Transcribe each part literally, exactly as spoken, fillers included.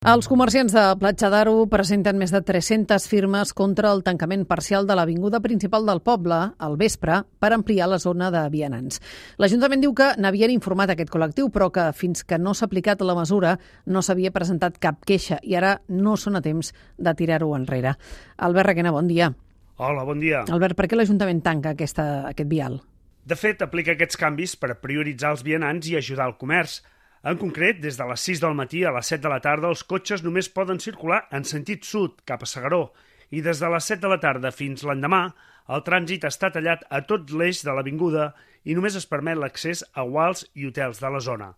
Els comerciants de Platja d'Aro presenten més de tres-centes firmes contra el tancament parcial de l'avinguda principal del poble al vespre per ampliar la zona de vianants. L'Ajuntament diu que n'havien informat aquest col·lectiu, però que fins que no s'ha aplicat la mesura no s'havia presentat cap queixa i ara no són a temps de tirar-ho enrere. Albert Requena, bon dia. Hola, bon dia. Albert, per què l'Ajuntament tanca aquesta, aquest vial? De fet, aplica aquests canvis per prioritzar els vianants i ajudar el comerç. En concret, des de les sis del matí a les set de la tarda els cotxes només poden circular en sentit sud, cap a S'Agaró, i des de les set de la tarda fins l'endemà el trànsit està tallat a tot l'eix de l'avinguda i només es permet l'accés a guals i hotels de la zona.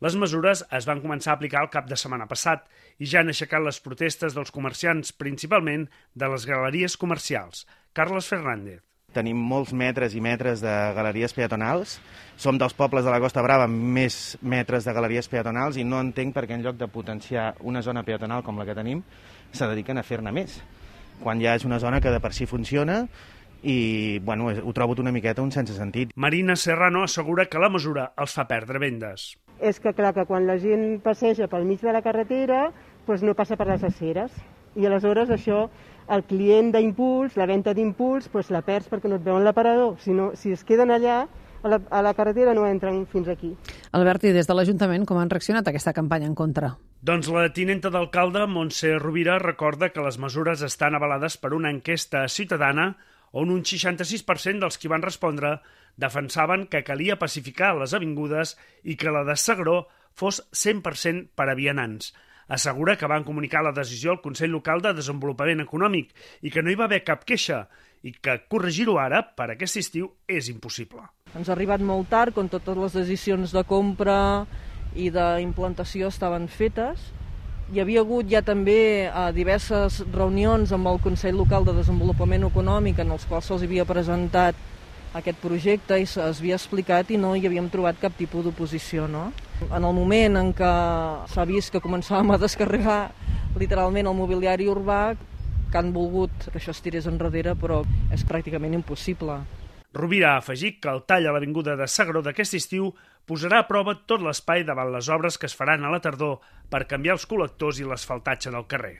Les mesures es van començar a aplicar el cap de setmana passat i ja han aixecat les protestes dels comerciants, principalment de les galeries comercials. Carles Fernández. Tenim molts metres i metres de galeries peatonals. Som dels pobles de la Costa Brava amb més metres de galeries peatonals i no entenc per què en lloc de potenciar una zona peatonal com la que tenim se dediquen a fer-ne més, quan ja és una zona que de per si funciona i bueno, ho trobo una miqueta un sense sentit. Marina Serrano assegura que la mesura els fa perdre vendes. És que clar que quan la gent passeja pel mig de la carretera doncs no passa per les aceres i aleshores això el client d'impuls, la venda d'impuls, doncs la perds perquè no et veuen l'aparador. Si, no, si es queden allà, a la, a la carretera no entren fins aquí. Albert, i des de l'Ajuntament com han reaccionat a aquesta campanya en contra? Doncs la tinenta d'alcalde, Montse Rovira, recorda que les mesures estan avalades per una enquesta ciutadana on un seixanta-sis per cent dels qui van respondre defensaven que calia pacificar les avingudes i que la de S'Agaró fos cent per cent per a vianants. Assegura que van comunicar la decisió al Consell Local de Desenvolupament Econòmic i que no hi va haver cap queixa i que corregir-ho ara per aquest estiu és impossible. Ens ha arribat molt tard, quan totes les decisions de compra i d'implantació estaven fetes. Hi havia hagut ja també eh, diverses reunions amb el Consell Local de Desenvolupament Econòmic en els quals se'ls havia presentat aquest projecte i s'havia explicat i no hi havíem trobat cap tipus d'oposició, no? En el moment en què s'ha vist que començàvem a descarregar literalment el mobiliari urbà, que han volgut que això es tirés enrere, però és pràcticament impossible. Rovira ha afegit que el tall a l'avinguda de S'Agaró d'aquest estiu posarà a prova tot l'espai davant les obres que es faran a la tardor per canviar els col·lectors i l'asfaltatge del carrer.